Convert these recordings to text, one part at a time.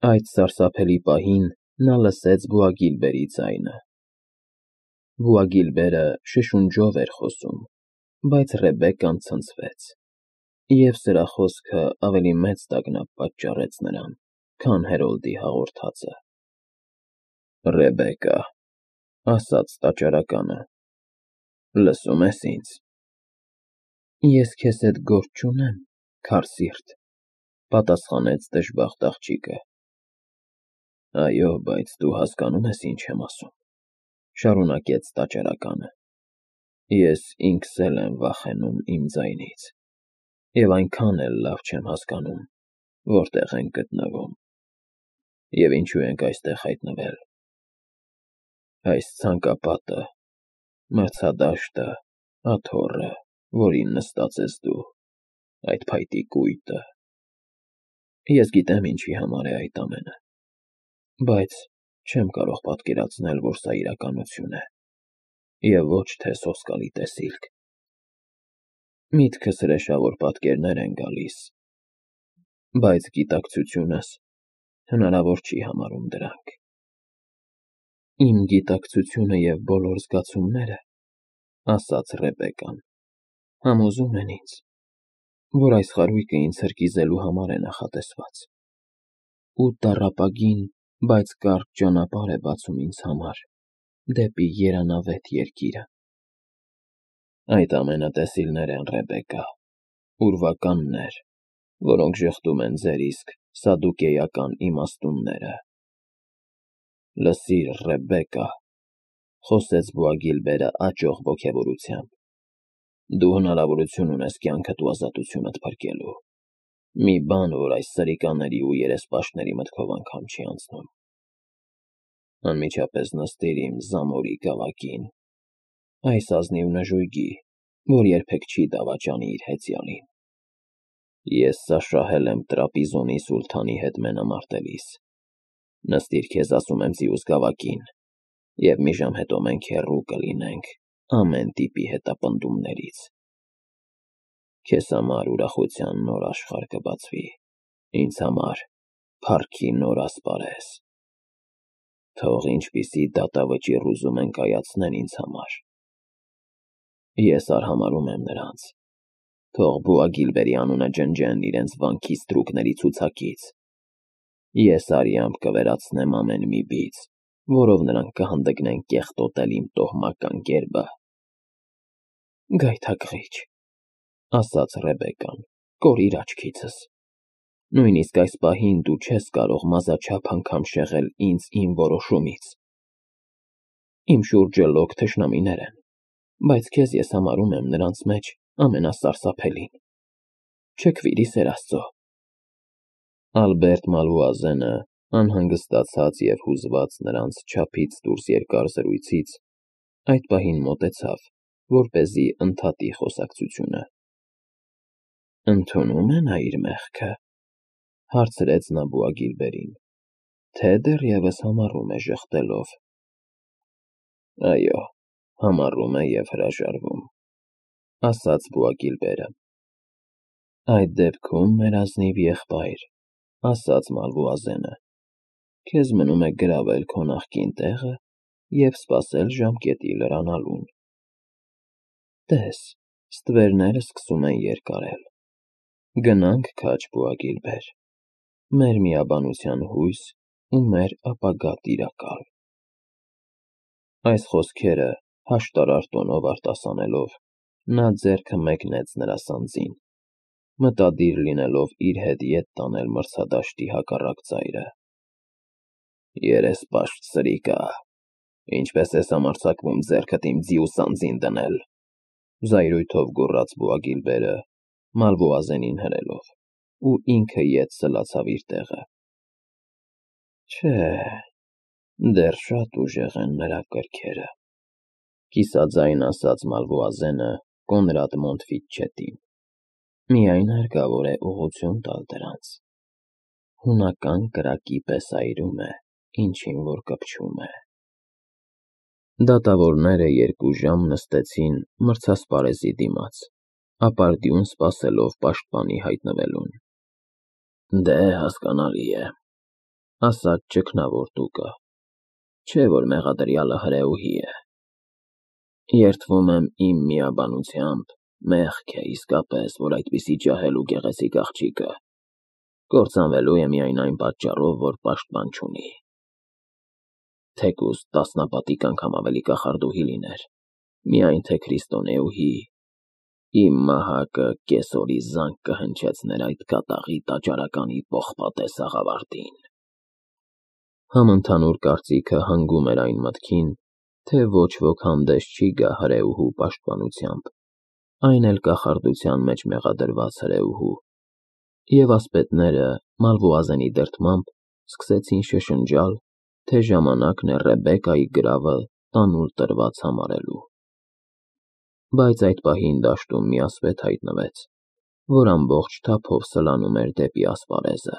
Այդ սարսափելի պահին նա լսեց Բոագիլբերի ձայնը։ Բոագիլբերը շշունջով էր խոսում, բայց Ռեբեկկան ցնցվեց, և սրա խոսքը ավելի մեծ տագնապ պատճառեց նրան, քան Հերոլդի հաղորդածը։ «Ռեբեկկա,֊ ասաց տաճարականը,֊ լսո՞ւմ ես ինձ»։ «Ես քեզ հետ գործ չունեմ, քարսիրտ,֊ պատասխանեց դժբախտ աղջիկը։ «Այո, բայց դու հասկանո՞ւմ ես, ինչ եմ ասում,֊ շարունակեց տաճարականը։ Ես ինքս էլ եմ վախենում իմ ձայնից, և այնքան էլ լավ չեմ հասկանում, որտեղ ենք գտնվում, և ինչու ենք այստեղ հայտնվել։ Այս ցանկապատը, մրցադաշտը, աթոռը, որին նստած ես դու, այդ փայտի կույտը… Ես գիտեմ ինչի համար է այդ ամենը, բայց չեմ կարող պատկերացնել, որ սա իրականություն է, և ոչ թե սոսկալի տեսիլք։ Միտքս հրեշավոր պատկերներ են գալիս, բայց գիտակցությունս հնարավոր չի համարում դրանք։ Իմ գիտակցությունը և բոլոր զգացումները, ասաց Ռեբեկկան, համոզում են ինձ, որ այս խարույկը ինձ հրկիզելու համար է նախատեսված, ու տառապագին, բայց կարճ ճանապարհ է բացում ինձ համար դեպի երանավետ երկիրը։ Այդ ամենը տեսիլներ են, Ռեբեկկա, ուրվականներ, որոնք ժխտում են ձեր իսկ սադուկեական իմաստունները։ Լսիր, Ռեբեկկա,֊ խոսեց Բոագիլբերը աճող ոգևորությամբ,֊ դու հնարավորություն ունես կյանքդ ու ազատությունդ փրկելու, մի բան, որ այս սրիկաների ու երեսպաշտների մտքով անգամ չի անցնում։ Անմիջապես նստիր իմ զամորի գավակին, այս ազնիվ նժույգի, որ երբեք չի դավաճանի իր հեծյալին։ Ես սա շահել եմ Տրապիզոնի սուլթանի հետ մենամարտելիս։ Նստիր, քեզ ասում եմ, ձիուս գավակին, և մի ժամ հետո մենք հեռու կլինենք ամեն տիպի հետապնդումներից։ Քեզ համար ուրախության նոր աշխարհ կբացվի, ինձ համար փառքի նոր ասպարեզ։ Թող ինչպիսի դատավճիռ ուզում են կայացնեն ինձ համար, ես արհամարհում եմ նրանց, թող Բոագիլբերի անունը ջնջեն իրենց վանքի ստրուկների ցուցակից։ Ես արյամբ կվերացնեմ ամեն մի բիծ, որով նրանք կհանդգնեն կեղտոտել իմ տոհմական գերբը։ Գայթակղիչ,֊ ասաց Ռեբեկկան,֊ կորիր աչքիցս։ Նույնիսկ այս պահին դու չես կարող մազաչափ անգամ շեղել ինձ իմ որոշումից։ Իմ շուրջը լոկ թշնամիներ են, բայց քեզ ես համարում եմ նրանց մեջ ամենասարսափելին։ Չքվիրի, սեր Աստծո։ Ալբերտ Մալվուազենը, անհանգստացած և հուզված նրանց չափից դուրս երկար զրույցից, այդ պահին մոտեցավ, որպեսզի ընդհատի խոսակցությունը։ Ընդունո՞ւմ է նա իր մեղքը, հարցրեց նա Բոագիլբերին, թե դեռևս համառում է ժխտելով։ Այո, համառում է և հրաժարվում, ասաց Բոագիլբերը։ Այդ դեպքում, մեր ազնիվ եղբայր, ասաց Մալվուազենը, քեզ մնում է գրավել քո նախկին տեղը և սպասել ժամկետի լրանալուն։ Տես, ստվերները սկսում են երկարել։ Գնանք քաջ, Բոագիլբեր, մեր միաբանության հույս ու մեր ապագա տիրակալ։ Այս խոսքերը հաշտարար տոնով արտասանելով, նա ձեռքը մեկնեց նրա սանձին, մտադիր լինելով իր հետ ետ տանել մրցադաշտի հակառակ ծայրը։ Երեսպաշտ սրիկա, ինչպես ես համարձակվում ձեռքդ իմ ձիու սանձին դնել,֊ զայրույթով գոռաց Բոագիլբերը, Մալվուազենին հրելով, ու ինքը ետ սլացավ իր տեղը։ Չէ, դեռ շատ ուժեղ են նրա կրքերը, կիսաձայն ասաց Մալվուազենը Կոնրադ Մոնտֆիտչետին, միայն հարկավոր է ուղղություն տալ դրանց։ Հունական կրակի պես այրում է, ինչին որ կպչում է։ Դատավորները 2 ժամ նստեցին մրցասպարեզի դիմաց, ապարդյուն սպասելով պաշտպանի հայտնվելուն։ Դե, հասկանալի է, ասաց ճգնավոր տուկը, չէ որ մեղադրյալը հրեուհի է։ Երդվում եմ իմ միաբանությամբ, մեղք է իսկապես, որ այդպիսի ջահել ու գեղեցիկ աղջիկը կործանվելու է միայն այն պատճառով, որ պաշտպան չունի։ Թեկուզ տասնապատիկ անգամ ավելի կախարդուհի լիներ, միայն թե քրիստոնեուհի, իմ մահակը կեսօրի զանգ կհնչեցներ այդ կատաղի տաճարականի պողպատե սաղավարտին։ Համընդհանուր կարծիքը հանգում էր այն մտքին, թե ոչ ոք հանդես չի գա հրեուհու պաշտպանությամբ, այն էլ կախարդության մեջ մեղադրված հրեուհու, և ասպետները Մալվոազենի դրդմամբ սկսեցին շշնջալ, թե ժամանակն է Ռեբեկայի գրավը տանուլ տրված համարելու։ Բայց այդ պահին դաշտում մի ասպետ հայտնվեց, որ ամբողջ թափով սլանում էր դեպի ասպարեզը։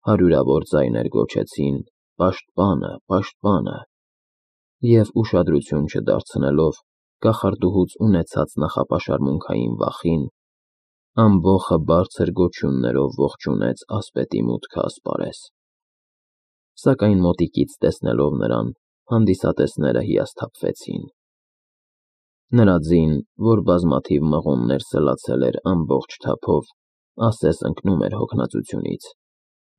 Հարյուրավոր ձայներ գոչեցին. «Պաշտպանը, պաշտպանը», և ուշադրություն չդարձնելով կախարդուհուց ունեցած նախապաշարմունքային վախին, ամբոխը բարձր գոչյուններով ողջունեց ասպետի մուտքը ասպարեզ։ Սակայն մոտիկից տեսնելով նրան, հանդիսատեսները հիասթափվեցին։ Նրա ձին, որ բազմաթիվ մղոններ սլացել էր ամբողջ թափով, ասես ընկնում էր հոգնածությունից,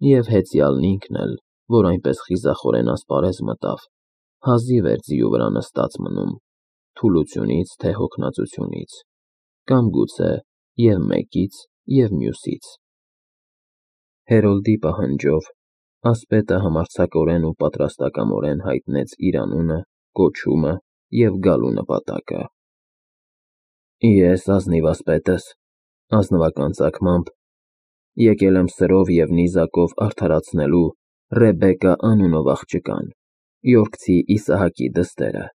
և հեծյալն ինքն էլ, որ այնպես խիզախորեն ասպարեզ մտավ, հազիվ էր ձիու վրա նստած մնում, թուլությունից թե հոգնածությունից, կամ գուցե և մեկից, և մյուսից։ Հերոլդի պահանջով ասպետը համարձակորեն ու պատրաստակամորեն հայտնեց իր անունը, կոչումը և գալու նպատակը։ Ես ազնիվ ասպետս, ազնվական ծագմամբ, եկել եմ սրով և նիզակով արդարացնելու Ռեբեկա անունով աղջկան, Յորքցի Իսահակի դստերը,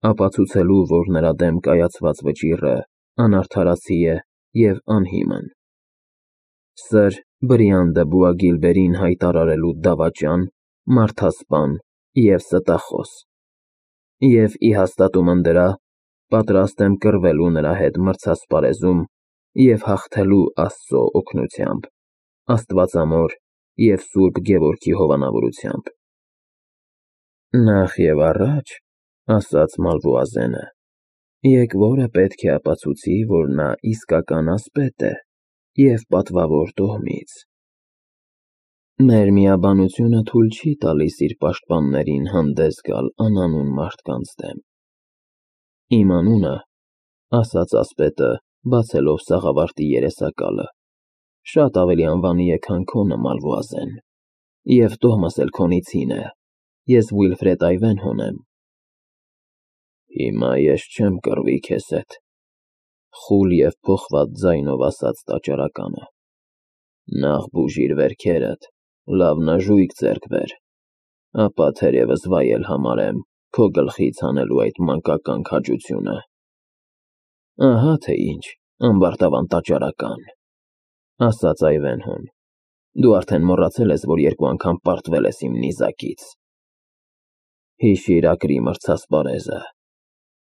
ապացուցելու, որ նրա դեմ կայացված վճիռը անարդարացի է և անհիմն, Սր Բրիանդը Բուագիլբերին հայտարարելու դավաճան, մարդասպան և ստախոս, և ի հաստատումն դրա պատրաստ եմ կռվելու նրա հետ մրցասպարեզում և հաղթելու Աստծո օգնությամբ, աստվածամոր և Սուրբ Գևորգի հովանավորությամբ։ Նախ և առաջ, ասաց Մալվոազենը, եկվորը պետք է ապացուցի, որ նա իսկական ասպետ է և պատվավոր տոհմից։ Մեր միաբանությունը թույլ չի տալիս իր պաշտպաններին հանդես գալ անանուն մարդկանց դեմ։ Իմ անունը, ասաց ասպետը, բացելով սաղավարտի երեսակալը, շատ ավելի անվանի է, քան քոնը, Մալվոազեն, և տոհմս էլ քոնիցին է, ես Վիլֆրեդ Այվենհոն եմ։ Հիմա ես չեմ կռվի քեզ հետ, խուլ և փոխված ձայնով ասաց տաճարականը, նախ բուժիր վերքերդ, լավ նժույգ ձեռք բեր, ապա թերևս վայել համարեմ քո գլխից հանելու այդ մանկական քաջությունը։ Ահա թե ինչ, ամբարտավան տաճարական, ասաց Այվենհոն, դու արդեն մոռացել ես, որ 2 անգամ պարտվել ես իմ նիզակից։ Հիշիր Ակրի մրցասպարեզը,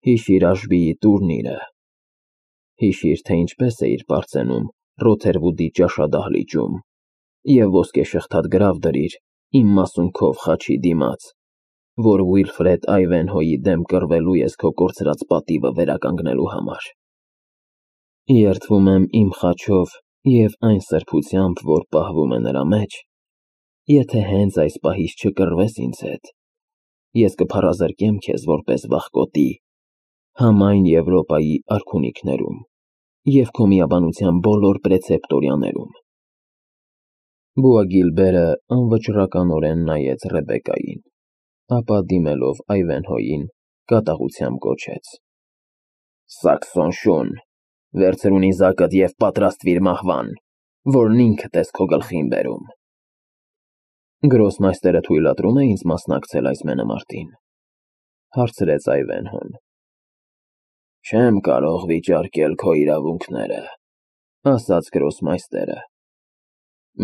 հիշիր Աշբիի տուրնիրը, հիշիր, թե ինչպես էիր պարծենում Ռոթերվուդի ճաշադահլիճում և ոսկեշղթատ գրավ դրիր իմ մասունքով խաչի դիմաց, որ Վիլֆրեդ Այվենհոյի դեմ կռվելու ես քո կորցրած պատիվը վերականգնելու համար։ Երդվում եմ իմ խաչով և այն սրբությամբ, որ պահվում է նրա մեջ, եթե հենց այս պահից չկռվես ինձ հետ, ես կփառազրկեմ քեզ որպես վախկոտի համայն Եվրոպայի արքունիքներում և քո միաբանության բոլոր պրեցեպտորիաներում։ Բուագիլբերը անվճռականորեն նայեց Ռեբեկային, ապա դիմելով Այվենհոյին կատաղությամբ գոչեց. Սաքսոն շուն, վերցրու նիզակդ և պատրաստվիր մահվան, որն ինքդ ես քո գլխին բերում։ Գրոսմայստերը թույլատրո՞ւմ է ինձ մասնակցել այս մենամարտին, հարցրեց Այվենհոն։ Չեմ կարող վիճարկել քո իրավունքները, ասաց գրոսմայստերը,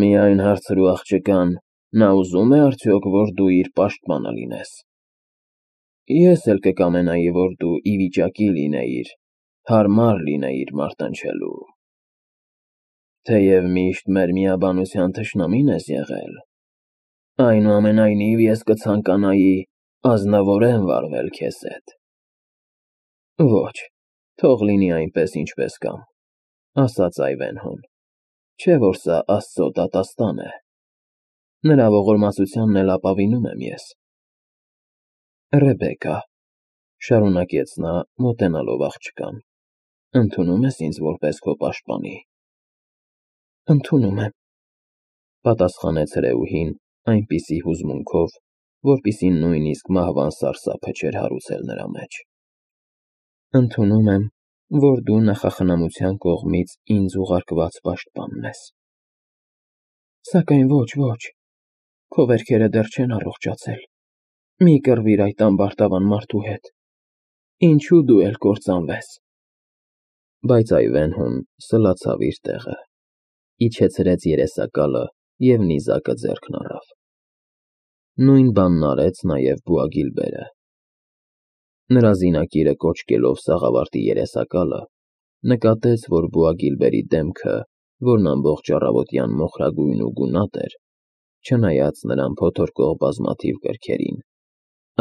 միայն հարցրու աղջկան, նա ուզում է արդյոք, որ դու իր պաշտպանը լինես։ Ես էլ կկամենայի, որ դու ի վիճակի լինեիր, հարմար լինեիր մարտնչելու։ Թեև միշտ մեր միաբանության թշնամին ես եղել, Այնուամենայնիվ ես կցանկանայի ազնվորեն վարվել քեզ հետ։ Ոչ, թող լինի այնպես, ինչպես կամ, ասաց Այվենհոն, չէ որ սա Աստծո դատաստան է։ Նրա ողորմածությանն էլ ապավինում եմ ես։ Ռեբեկա, շարունակեց նա, մոտենալով աղջկան, ընդունում ես ինձ որպես քո պաշտպանի։ Ընդունում եմ, պատասխանեց հրեուհին այնպիսի հուզմունքով, որպիսի նույնիսկ մահվան սարսափը չէր հարուցել նրա մեջ։ Ընդունում եմ, որ դու նախախնամության կողմից ինձ ուղարկված պաշտպանն ես։ Սակայն ոչ, քո վերքերը դեռ չեն առողջացել։ Մի կռվիր այդ ամբարտավան մարդու հետ։ Ինչու դու էլ կործանվես։ Բայց Այվենհոն սլացավ իր տեղը, իջեցրեց երեսակալը և նիզակը ձեռքն առավ։ Նույն բանն արեց նաև Բուագիլբերը։ Նրա զինակիրը կոչկելով սաղավարտի երեսակալը, նկատեց, որ Բուագիլբերի դեմքը, որն ամբողջ առավոտյան մոխրագույն ու գունատ էր, չնայած նրան փոթորկող բազմաթիվ կրքերին,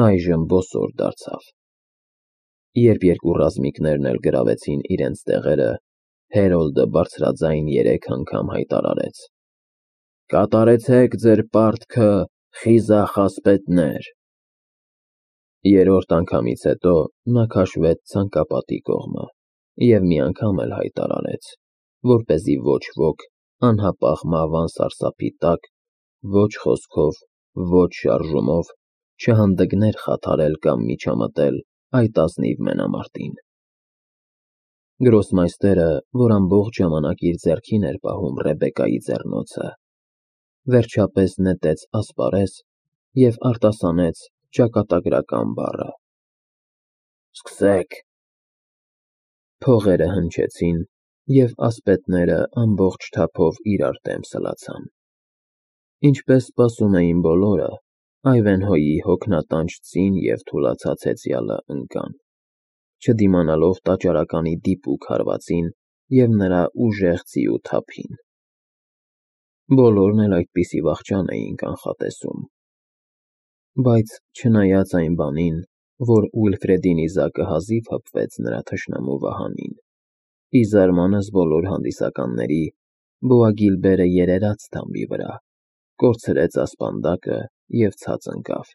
այժմ բոսոր դարձավ։ Երբ երկու ռազմիկներն էլ գրավեցին իրենց տեղերը, Հերոլդը բարձրաձայն 3 անգամ հայտարարեց. Կատարեցեք ձեր պարտքը, խիզախ ասպետներ։ Երրորդ անգամից հետո նա քաշվեց ցանկապատի կողմը և մի անգամ էլ հայտարարեց, որպեսզի ոչ ոք անհապաղ մահվան սարսափի տակ ոչ խոսքով, ոչ շարժումով չհանդգներ խաթարել կամ միջամտել այդ ազնիվ մենամարտին։ Գրոսմայստերը, որ ամբողջ ժամանակ իր ձեռքին էր պահում Ռեբեկայի ձեռնոցը, վերջապես նետեց ասպարեզ և արտասանեց ճակատագրական բառը. Սկսեք։ Փողերը հնչեցին, և ասպետները ամբողջ թափով իրար դեմ սլացան։ Ինչպես սպասում էին բոլորը, Այվենհոյի հոգնատանջ ծին և թուլացած հեծյալը ընկան, չդիմանալով տաճարականի դիպուկ հարվածին և նրա ուժեղ ձիու թափին։ Բոլորն էլ այդպիսի վախճան էին կանխատեսում։ Բայց չնայած այն բանին, որ Ուիլֆրեդի նիզակը հազիվ հպվեց նրա թշնամու վահանին, ի զարմանս բոլոր հանդիսականների Բուագիլբերը երերաց թամբի վրա, կորցրեց ասպանդակը և ցած ընկավ։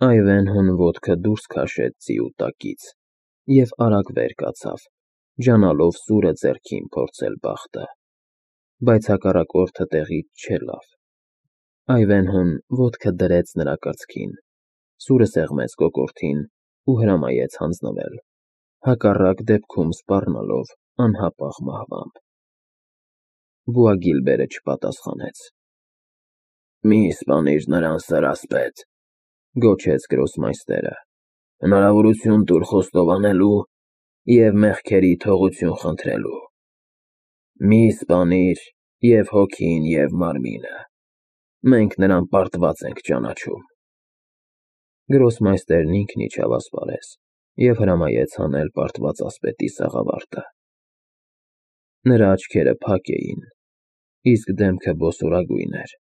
Այվենհոն ոտքը դուրս քաշեց ձիու տակից և արագ վեր կացավ, ջանալով սուրը ձեռքին փորձել բախտը, բայց հակառակորդը տեղից չելավ։ Այվենհոն ոտքը դրեց նրա կրծքին, սուրը սեղմեց կոկորդին ու հրամայեց հանձնվել, հակառակ դեպքում սպառնալով անհապաղ մահվամբ։ Բուագիլբերը չպատասխանեց։ Մի սպանիր նրան, սր ասպետ, գոչեց գրոսմայստերը, հնարավորություն տուր խոստովանելու և մեղքերի թողություն խնդրելու։ Մի սպանիր և հոգին, և մարմինը, մենք նրան պարտված ենք ճանաչում։ Գրոսմայստերն ինքն իջավ ասպարեզ և հրամայեց հանել պարտված ասպետի սաղավարտը։ Նրա աչքերը փակ էին, իսկ դեմքը բոսորագույն էր։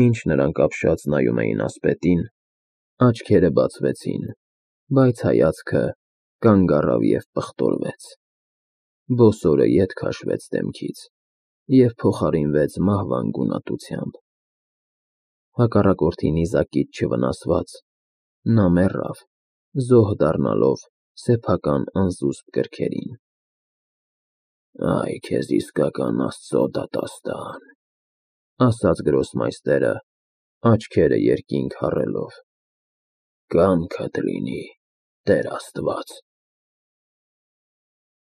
Մինչ նրանք ապշած նայում էին ասպետին, աչքերը բացվեցին, բայց հայացքը կանգ առավ և պղտորվեց։ Բոսորը ետ քաշվեց դեմքից և փոխարինվեց մահվան գունատությամբ։ Հակառակորդի նիզակից չվնասված, նա մեռավ, զոհ դառնալով սեփական անզուսպ կրքերին։ Այ քեզ իսկական Աստծո դատաստան, ասաց գրոսմայստերը, աչքերը երկինք հառելով։ Կամքդ լինի, Տեր Աստված։